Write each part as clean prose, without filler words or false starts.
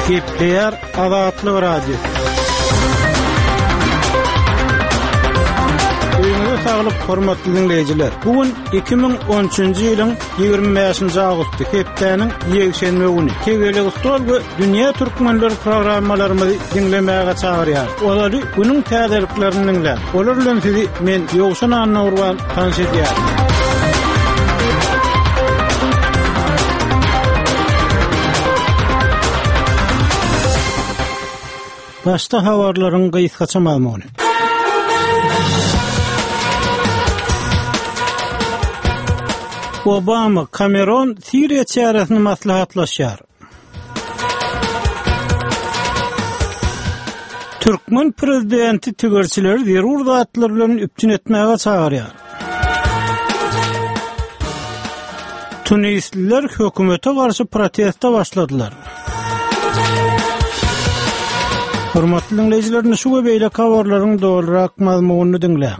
Gepleýär Azatlyk Radiosy. Öýüňize saglyk, hormatly diňleýjiler. Bu gün 2013-nji ýylyň 25-nji awgusty, hepdäniň ýekşenbe güni. Tegelek stol we Dünýä türkmenleri programmalarymyzy diňlemäge çagyrýar. Ozaly günüň täzeliklerini diňläň. Olar bilen sizi men Ýowşan Annagurban tanyş edýärin. Başda habarlaryň gysgaça mazmuny. Obama, Kameron Siriýa çäresini maslahatlaşýar. Türkmen prezidenti tigirçileri zerur zatlar bilen üpjün etmäge çagyrýar. Tunisliler hökümete garşy proteste başladylar. Hormatly diňleýjiler, indi şu we beýleki habarlaryň dolurak mazmunyny diňläň.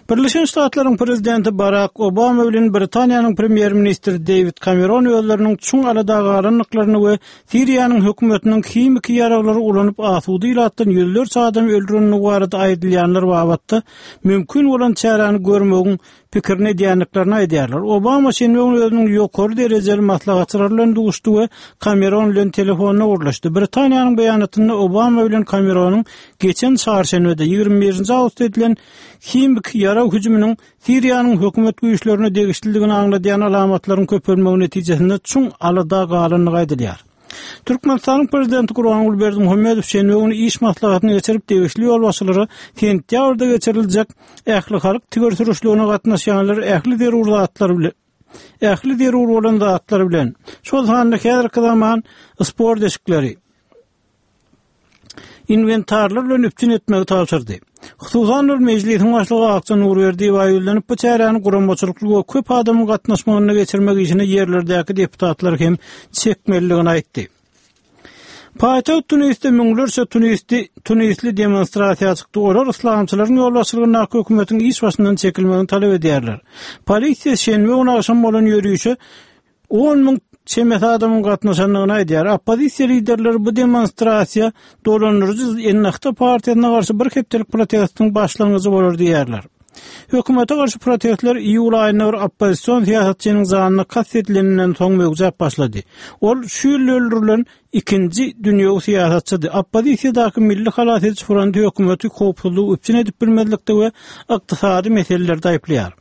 Birleşen Ştatlaryň prezidenti Barak Obama bilen Britaniýanyň premýer-ministri Deýwid Kameron özleriniň çuň alada galandyklaryny we Siriýanyň hökümetiniň himiki ýaraglary ulanyp asuda ilatdan ýüzlerçe adamy öldürendigi barada aýdylýanlar babatda mümkin bolan çäräni görmegiň pikirini edýändiklerini aýdýarlar. Obama şenbe güni özüniň ýokary derejeli maslahatçylary bilen duşdy we Kameron bilen telefonda gürleşdi. Britaniýanyň beýanatynda Obama bilen Kameronyň geçen çarşenbede, 21-nji awgustda edilen himiki ýarag hüjüminiň Siriýanyň hökümet güýçlerine degişlidigini aňladýan alamatlaryň köpelmegi netijesinde çuň alada galandygy aýdylýar. Türkmenistanyň Prezidenti Gurbanguly Berdimuhamedow şenbe güni iş maslahatyny geçirip, degişli ýolbaşçylara sentýabrda geçiriljek ählihalk tigir sürüşligine gatnaşýanlary ähli zerur zatlar bilen ähli zerur bolan zatlar bilen, şol sanda häzirki zaman sport eşikleri, inwentarlar bilen üpjün etmegi tabşyrdy. Hususan-da, Mejlisiň başlygy Akja Nurberdiýewa ýüzlenip, bu çäräni guramaçylykly we köp adamyň gatnaşmagynda geçirmek işine ýerlerdäki deputatlary hem çekmelidigini aýtdy. Paýtagt Tunisde müňlerçe tunisli tunisli demonstrasiýa çykdy. Olar yslamçylaryň ýolbaşçylygyndaky hökümetiň iş başyndan çekilmegini talap edýärler. Polisiýa şenbe güni agşam bolan ýörişe 10 müň çemesi adamyň gatnaşandygyny aýdýar. Oppozisiýa liderleri bu demonstrasiýa dolandyryjy Ennahda partiýasyna garşy bir hepdelik protestiň başlangyjy bolar diýýärler. Hökümete garşy protestler iýul aýynda bir oppozision syýasatçynyň janyna kast edileninden soň möwjäp başlady. Ol şu ýyl öldürilen ikinji dünýewi syýasatçydy. Oppozisiýadaky Milli halas ediji fronty hökümeti howpsuzlygy üpjün edip bilmezlikde we ykdysady meselelerde aýyplaýar.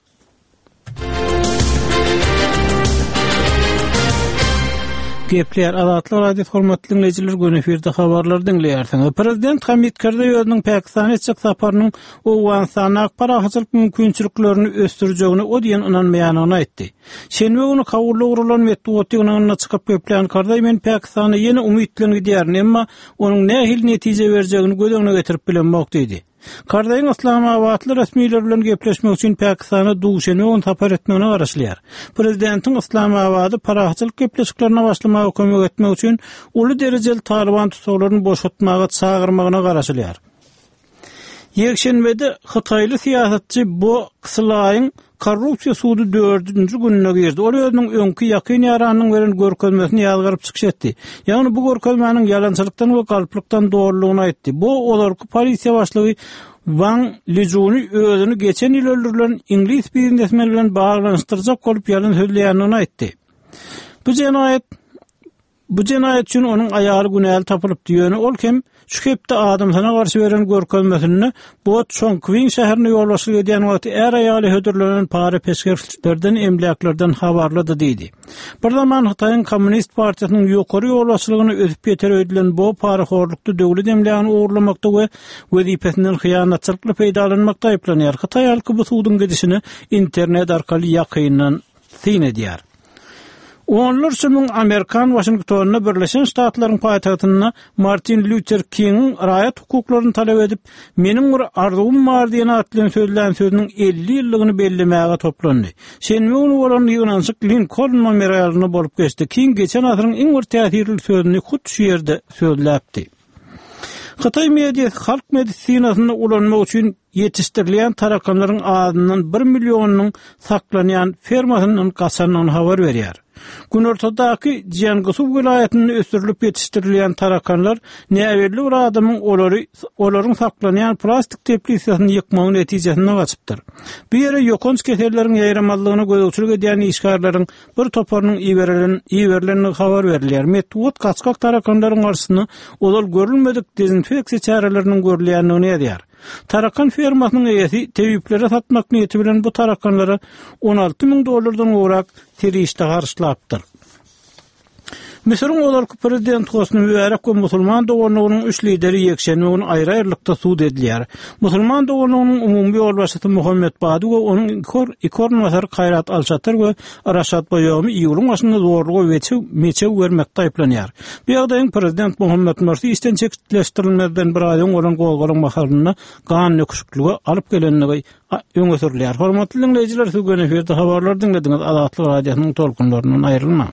Gepleýär Azatlyk Radiosy hormatly diňleýjiler göni efirde habarlary diňleýärsiňiz. Prezident Hamid Karzaý özüniň Pakistana etjek saparynyň Owganystandaky parahatçylyk mümkinçiliklerini ösdürjegine o diýen ynanmaýandygyny aýtdy. Şenbe güni Kabulda guralan metbugat ýygnagynda çykyp geplän Karzaý men Pakistana ýene umyt bilen gidýärin, emma onuň nähili netije berjegini göz öňüne getirip bilemok diýdi. Karzaýyň yslamabatly resmiler bilen gepleşmek üçin Pakistana duşenbe güni sapar etmegine garaşylýar. Prezidentiň Yslamabady parahatçylyk gepleşiklerine başlamaga kömek etmek üçin uly derejeli talyban tussaglaryny boşatmaga çagyrmagyna garaşylýar. Ýekşenbede hytaýly syýasatçy Bo Ksylaýyň korrupsiýa sudy dördünji gününe girdi. Ol özüniň öňki ýakyn ýaranynyň beren görkezmesini ýazgaryp çykyş etdi. Ýagny bu görkezmäniň ýalançylykdan we galplykdan doludygyny aýtdy. Bo ozalky polisiýa başlygy Wang Lijuny özüni geçen ýyl öldürilen iňlis biznesmeni bilen baglanyşdyrjak bolup ýalan sözleýändigini aýtdy. Bu jenaýat Bu jenaýat üçin onuň aýaly günäli tapylypdy, ýöne ol hem şu hepde adamsyna garşy beren görkezmesinde Bo Çongkwin şäherine ýolbaşçylyk edýän wagty är-aýaly hödürlenen para-peşgeşlerden, emläklerden habarlydy diýdi. Bir zaman Hytaýyň Kommunist partiýasynyň ýokary ýolbaşçylygyna ösüp ýeter öýdülen Bo parahorlukda döwlet emlägini ogurlamakda we wezipesinden hyýanatçylykly peýdalanmakda aýyplanýar. Hytaý halky bu suduň gidişine internet arkaly ýakyndan syn edýär. Onlarça müň amerikan Waşingtonda Birleşen Ştatlaryň paýtagtynda Martin Lýuter Kingiň raýat hukuklaryny talap edip, Meniň bir arzuwym bar diýen at bilen sözlän sözüniň 50 ýyllygyny bellemäge toplandy. Şenbe güni bolan ýygnanyşyk Linkoln memorialynda bolup geçdi. King geçen asyryň iň bir täsirli sözüni hut şu ýerde sözläpdi. Hytaý mediasy halk medisinasynda ulanmak üçin. ýetişdirilýän tarakanlaryň azyndan bir millionynyň saklanýan fermasyndan gaçandygyny habar berýär. Günortadaky Jiangusu welaýatynda ösdürilip ýetişdirilýän tarakanlar näbelli bir adamyň olary olaryň saklanýan plastik teplisasyny ýykmagy netijesinde gaçypdyr. Bu ýere ýokanç keselleriň ýaýramazlygyna gözegçilik edýän işgärleriň bir toparynyň iberilen iberilendigi habar berilýär. Metbugat gaçgak tarakanlaryň garşysyna ozal görülmedik dezinfeksiýa çäreleriniň görülýändigini ýazýar. Tarakan fermasynyň eýesi tebiplere satmak niýeti bilen bu tarakanlara 16 müň dollardan gowrak serişde harçlapdyr. Müsüriň ozalky prezidenti Hosni Mübärek we Musulman doganlygynyň üç lideri ýekşenbe güni aýry-aýrylykda sud edilýär. Musulman doganlygynyň umumy ýolbaşçysy Muhammet Badi we onuň iki orunbasary Kaýrat Al-Şatyr we Raşad Baýomi iýulyň başynda zorluga we meçew bermekde aýyplanýar. Bu ýagdaýyň prezident Muhammet Mursi işden çetleşdirilmezden bir aý öň bolan gozgalaň mahalynda gan döküşiklige alyp gelendigi öňe sürülýär. Hormatly diňleýjiler, siz göni efirde habarlary diňlediňiz. Azatlyk Radiosynyň tolkunlaryndan aýrylmaň.